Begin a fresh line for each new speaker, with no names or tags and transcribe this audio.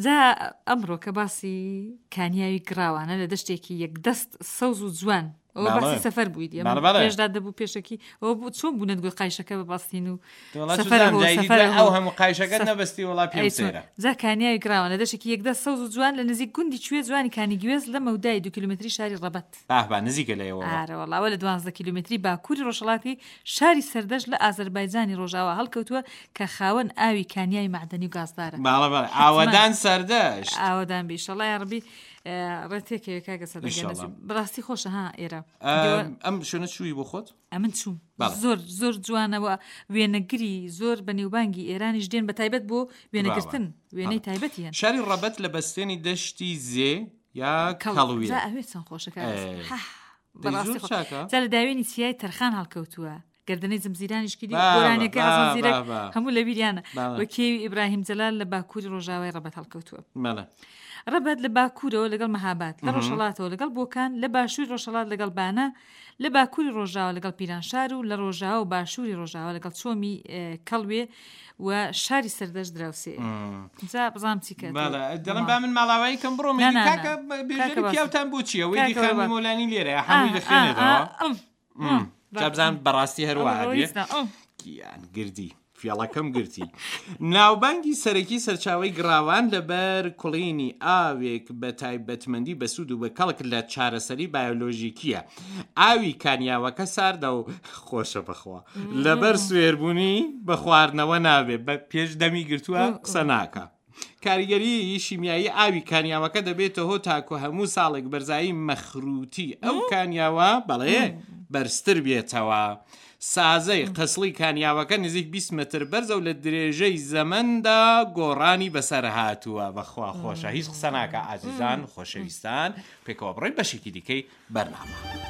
جا ئەمڕۆ کە باسی کانیاوی گڕاوانە لە دەشتێکی یەکدەست سەوز و جوان ئەوە باسی سەفەر بوویت پێشدا دەبوو پێشەکی ئەوە بوو چۆن بوو نەتگوت قایشەکە بە بەستین و
ئەو هەموو قایشەکە نەبەستی وڵا پێم سەیرە
جا کانیاوی گڕاوان لە دەشتێکی یەکدەست سەوز و جوان لە نزیک گوندی کوێ جوانی کانی گوێز لە مەودای دوو کیلومتری شاری ڕەبەت
باه با نزیکە لە ئێوەوە.
ئارە وەڵا ئەوە لە 12 کیلۆمەتری باکووری ڕۆژهەڵاتی شاری سەردەشت لە ئازەربایجانی ڕۆژاوا هەڵکەوتووە کە خاوەن ئاوی کانیاوی مەعدەنی و گازدارە.
بەڵێ بەڵێ
حەتمەن.
ئاوەدان سەردەشت.
ئاوەدان بی ئیشەڵا یاڕەبی ڕێ تێکەوێ کاکە سەردەشت گیان
ئیشەڵا.
نەچوو. بەڕاستی خۆشە ها ئێرە.
ئەم شوێنە چووی بۆ خۆت؟
ئەمن چووم.
بەڵێ.
زۆر زۆر جوانە و وێنەگری زۆر بەنێوبانگی ئێرانیش دێن بە تایبەت بۆ وێنەگرتن وێنەی تایبەتی هەن.
شاری ڕەبەت لە بەستێنی دەشتی زێ یا کەڵوێ.
جا ئەوێ چەند خۆشە کاک
ئەی.
حە
دەی
بەڕاستی
زۆر
خۆ
چاکە.
جا لە داوێنی چیای تەرخان هەڵکەوتووە گردنەی زمزیرانیش کردی
بابە،
گۆرانیەکەی حەسەن
بابە،
زیرەک
بابە.
هەموو لە بیریانە
بابە.
و کێوی ئیبراهیم جەلال لە باکووری ڕۆژاوای ڕەبەت هەڵکەوتووە
بەڵێ.
ڕەبەت لە باکوورەوە لەگەڵ مەهاباد لە ڕۆژهەڵاتەوە لەگەڵ بۆکان لە باشووری ڕۆژهەڵات لەگەڵ بانە لە باکووری ڕۆژاوا لەگەڵ پیرانشار و لە ڕۆژاوا و باشووری ڕۆژاوا لەگەڵ چۆمی کەڵوێ و شاری سەردەشت دراوسێیە. جا بزانم چی کە
بەڵێ دەڵێم با من ماڵاوایی کەم بڕۆم
نا،
ئیدی
نا، نا.
کاکە بێژەری
کاکە باس.
پیاوتان بۆ چییە وەیدی
کاکە
خانمی
باس.
مۆلانی لێرەیە هەمووی دەخوێنێتەوە جا بزانم بەڕاستی هەر وا ئەبێ گیان گردی فێڵەکەم گرتی. ناوبانگی سەرەکی سەرچاوەی گڕاوان لەبەر کوڵینی ئاوێک بە تایبەتمەندی بەسوود و بەکەڵک لە چارەسەری بایۆلۆژیکییە. ئاوی کانیاوەکە ساردە و خۆشە بەخوا. لەبەر سوێربوونی بە خواردنەوە نابێ بە پێش دەمی گرتووە قسە ناکا. کاریگەریی شیمیایی ئاوی کانیاوەکە دەبێتە هۆ تاکو هەموو ساڵێک بەرزایی مەخرووتی ئەو کانیاوە بەڵێ بەرزتر بێتەوە. سازەی قسڵی کانیاوەکە نزیک 20 مەتر بەرزە و لە درێژەی زەمەندا گۆڕانی بەسەر هاتووە. بەخوا خۆشە هیچ قسە ناکا ئازیزان خۆشەویستان پێکەوە بڕۆین بەشێکی دیکەی بەرنامە.